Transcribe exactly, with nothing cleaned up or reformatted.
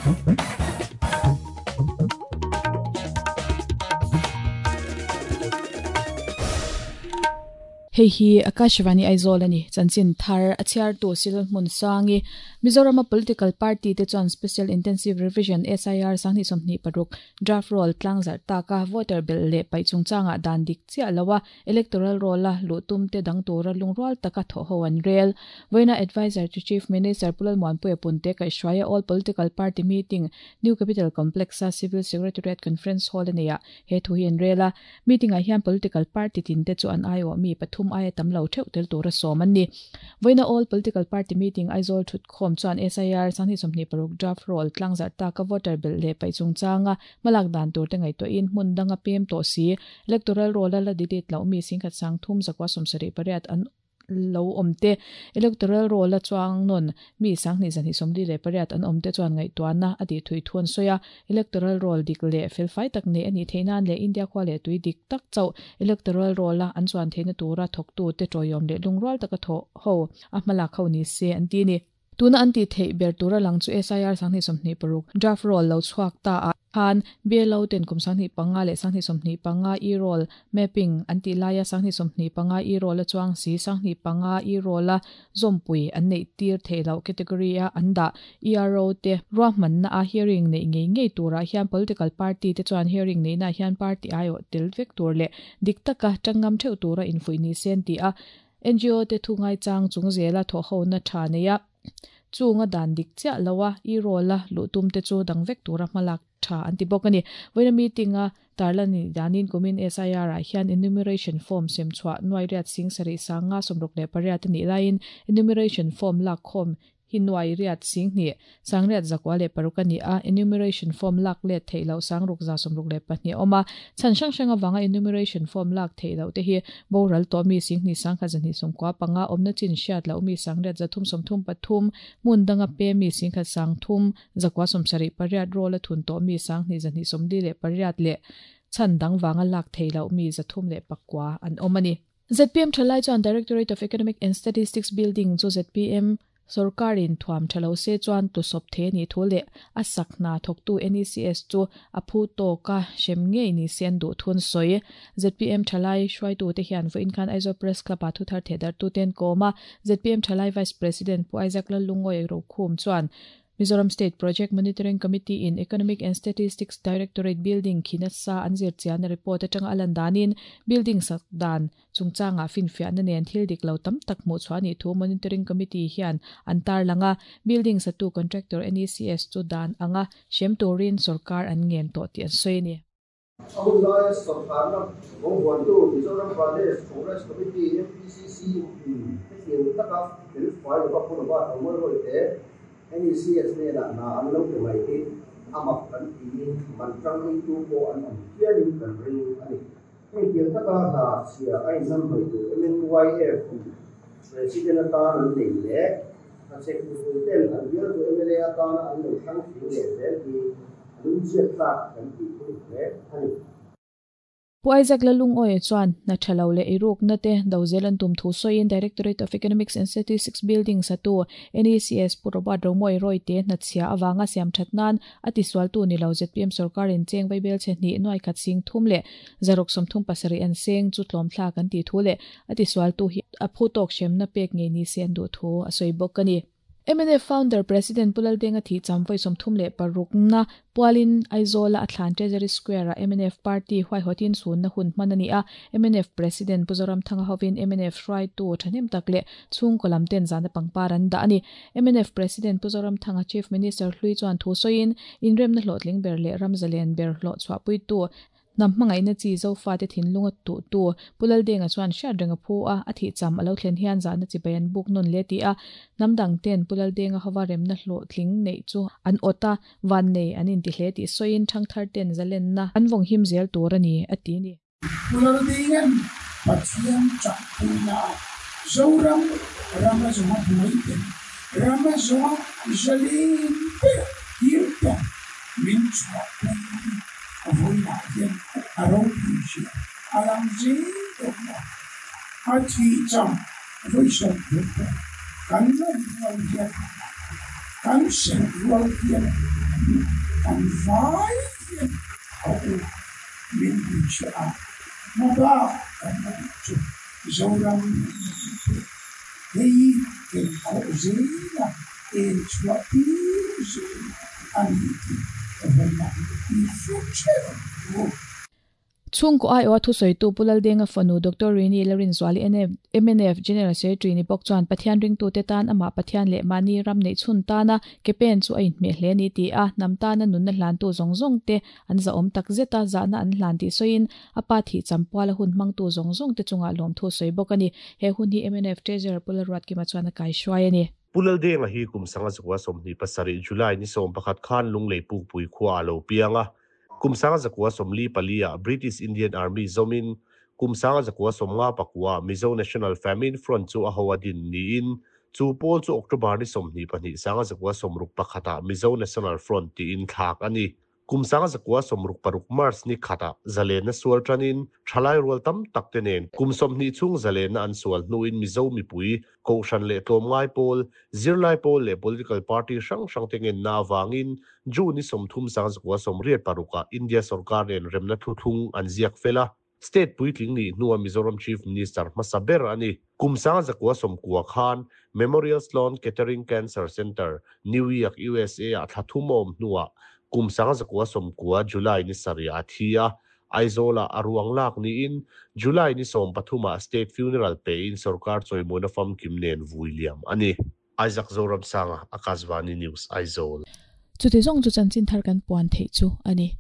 Hei hi Akashvani Aizawl ani chanchin thar a chhiar tu sil hmun sangi Mizoram political party te chuan Special Intensive Revision S I R sangni somni paruk draft roll tlangzar taka voter bel le pai chungchanga dan dik chia lawa electoral roll la lutum te dang tura lungrual taka tho ho an rel voina advisor to Chief Minister Pulal Muanpuia Punte kai shwaya all political party meeting New Capital Complex a Civil Secretariat Conference Hall ania he thu hi an rela meeting a hian political party tin te chu an aio mi pathum ai tam lo theu tel tura som an ni voina all political party meeting Aizawl thut khom chuan S I R sangni somni paruk draft roll tlangzar ta ka voter bel le pai chungchanga malak dan tur te ngai to in hmun danga pem to si electoral roll la delete lo mi singkhat sang thum zakwa somsari pariat an lo omte electoral roll la chuang non mi sangni zani somli le pariat an omte chuan ngai tuana ati thui thun soya electoral roll dik le fel fai tak ne ani theinan le India khwa le tui dik tak chau electoral roll la an chuan theina tura thok tu te toyom le lungrol taka tho ho a hmala khau ni se an ti ni tuna anti thei ber tura lang chu S I R sangni somni paruk draft roll lo chuak ta a khan belo ten kum sangni panga le sangni somni panga e roll mapping anti laya sangni somni panga e roll chuang si sangni panga e roll la zompui an nei tir theilo category a anda E R O te ruahman na a hearing nei ngei ngei tura hian political party te chuan hearing nei na hian party aio tel vek tur le diktaka tangam theu tura infui ni sen ti a N G O te thungai chang chung zela tho ho na tha neya chunga dan dik cha lawa i rola lutum te chu dang vek tura malak tha anti bokani voina meeting a tarlani danin kumin S I R a hian enumeration form sem chwa nuai riat sing sari sanga somruk le pariat ni lain enumeration form lak khom hinuai riat sing ni sangriat zakwa le parukani a enumeration form lak le theilo sangruk za somruk le pahni oma chan sang sanga wanga enumeration form lak theilo te hi boral to mi sing ni sangkha jani somkwa panga omna chin shat la umi sangriat zathum somthum pathum mundanga pe mi singkha sangthum zakwa somsari pariat rola thun to mi sangni jani somdi le pariat le chan dang wanga lak theilo mi zathum le pakwa an omani Z P M thalai chuan Directorate of Economic and Statistics Building chu Z P M Sarkarin thuam thalo se chuan tu sop the ni thule asakna thoktu N E C S chu aphu to ka shem nge ni sen du thun soi Z P M thalai shwai tu te hian vo inkhan Aizawl Press Club a thu thar thedar tu ten koma Z P M thalai Vice President Pu Isaac Lalungoi ro khum chuan Mizoram State Project Monitoring Committee in Economic and Statistics Directorate Building khinasa anzir chian report atanga alandanin building sakdan chungchanga finfia na nen thil dik lo tam tak mu chuani thu monitoring committee hian antar langa building satu contractor N E C S chu dan anga shem turin sarkar an ngen to ti an soini Ahulaya sarkar na bongwantu Mizoram Pradesh Congress Committee M P C C hetiang taka fel fai lo ka ba amor hoite N E C S ne la na an lo pe mai te amak kan ti man tang ei tu ko an am hianin kan ring ani hei tiang taka na sia ai nam mai tu M N Y F president ata an nei le a chek tu ten an bial tu M L A ata an lo thang thi le zel ti lung chiat tak kan ti pui le ani Pu Isaac Lalungoi chuan na thalo le iruk na te dozelan tum thu soin Directorate of Economics and Statistics Building satu N E C S Puroba Romoi Roy te na chhia awanga siam thatnan ati swal tu ni lo Z P M sarkarin cheng vaibel che ni noi khat sing thum le zarok som thum pasari an seng chu tlom thla kan ti thu le ati swal tu hi aphu tok shem na pek nge ni sen du thu asoi bok ani M N F founder President Pulal Denga thi chamvoi somthum le paruk na pualin Aizawl a thlan Treasury Square a M N F party huai hotin sun na hun manani a M N F President Puzoram Thanga hovin M N F hrai tu thanem takle chung kolam ten zana pangparan da ani M N F President Puzoram Thanga Chief Minister hlui chuan thu soin inrem na hlotling ber le ramzalen ber hlo chwa pui tu nam mangai na chi zo fa te thin lunga tu tu Pulal Denga chuan sha renga phu a athi cham alo thlen hian za na chi bayan buk non le ti a namdang ten Pulal Denga hawa rem na hlo thling nei chu an ota van nei an in ti hle ti soin thang thar ten zalen na an vong him zel tur ani ati ni Pulal Denga pathian chak puna zoram rama zoma buai rama zoma zalin pe him ta min chwa avoid hian aro pi alang jing to a chi cham voi som tu kan lo rual hian kan sen rual hian Kan vai hian a u min hnuchhiah a, hmabak kan la duh chu Zoram hei ken khawh zela en chhuah tir zel a ni tih ka vawiinah i hre theuh ang u. Chhungkaw aiawha thusawitu Pu Laldenga fanu Doctor Rini Larinzuali M N F General Secretary ni bawk chuan Pathian ringtute tan amah Pathian leh mahni ram neih chhun tana ke pen chu a inhmeh hle a ni ti a, hnam tana nunna hlantu zawng zawng te an zahawm tak zet a, zahna an hlan tih sawiin a pa thih champuala hun hmangtu zawng zawng te chungah lawmthu sawi bawk a ni. He hun hi M N F Treasurer Pu Lalruatkima chuan a kaihruai a ni. Pu Laldenga hi kum sanga zakua sawmhnih pasarih July ni sawm pakhat khan Lunglei Pukpui khua a lo piang a. Kum sanga zakua sawmli pali ah British Indian Army zawmin kum sanga zakua sawmnga pakua Mizo National Famine Front chu a ho a din niin chu pawl chu October ni sawmhnih pahnih sanga zakua sawmruk pakhatah Mizo National Front tiin thlak a ni. Kum sanga zakua sawmruk paruk March ni khatah zalenna sual tanin thalai rual tam tak te nen kum sawmhnih chhung zalenna an sual hnuin Mizo mipui kohhran leh tlawmngai pawl, zirlai pawl leh political party hrang hrang te ngenna avangin June ni sawmthum sanga zakua sawmriat parukah India sorkar nen remna thuthlung an ziak fel a. State puitling nih hnuah Mizoram Chief Minister hmasa ber a ni. Kum sanga zakua sawmkua khan Memorial Sloan Kettering Cancer Center, New York, U S A ah thla thum a awm hnuah kum sanga zakua sawmkua July ni sarih a thi a. Aizawlah a ruang lak niin July ni sawm pathumah state funeral pein sorkar chawimawina famkim nen vui liam a ni. Isaac Zoramsanga, Akashvani News, Aizawl. Chuti zawng chu chanchin thar kan puan theih chu a ni.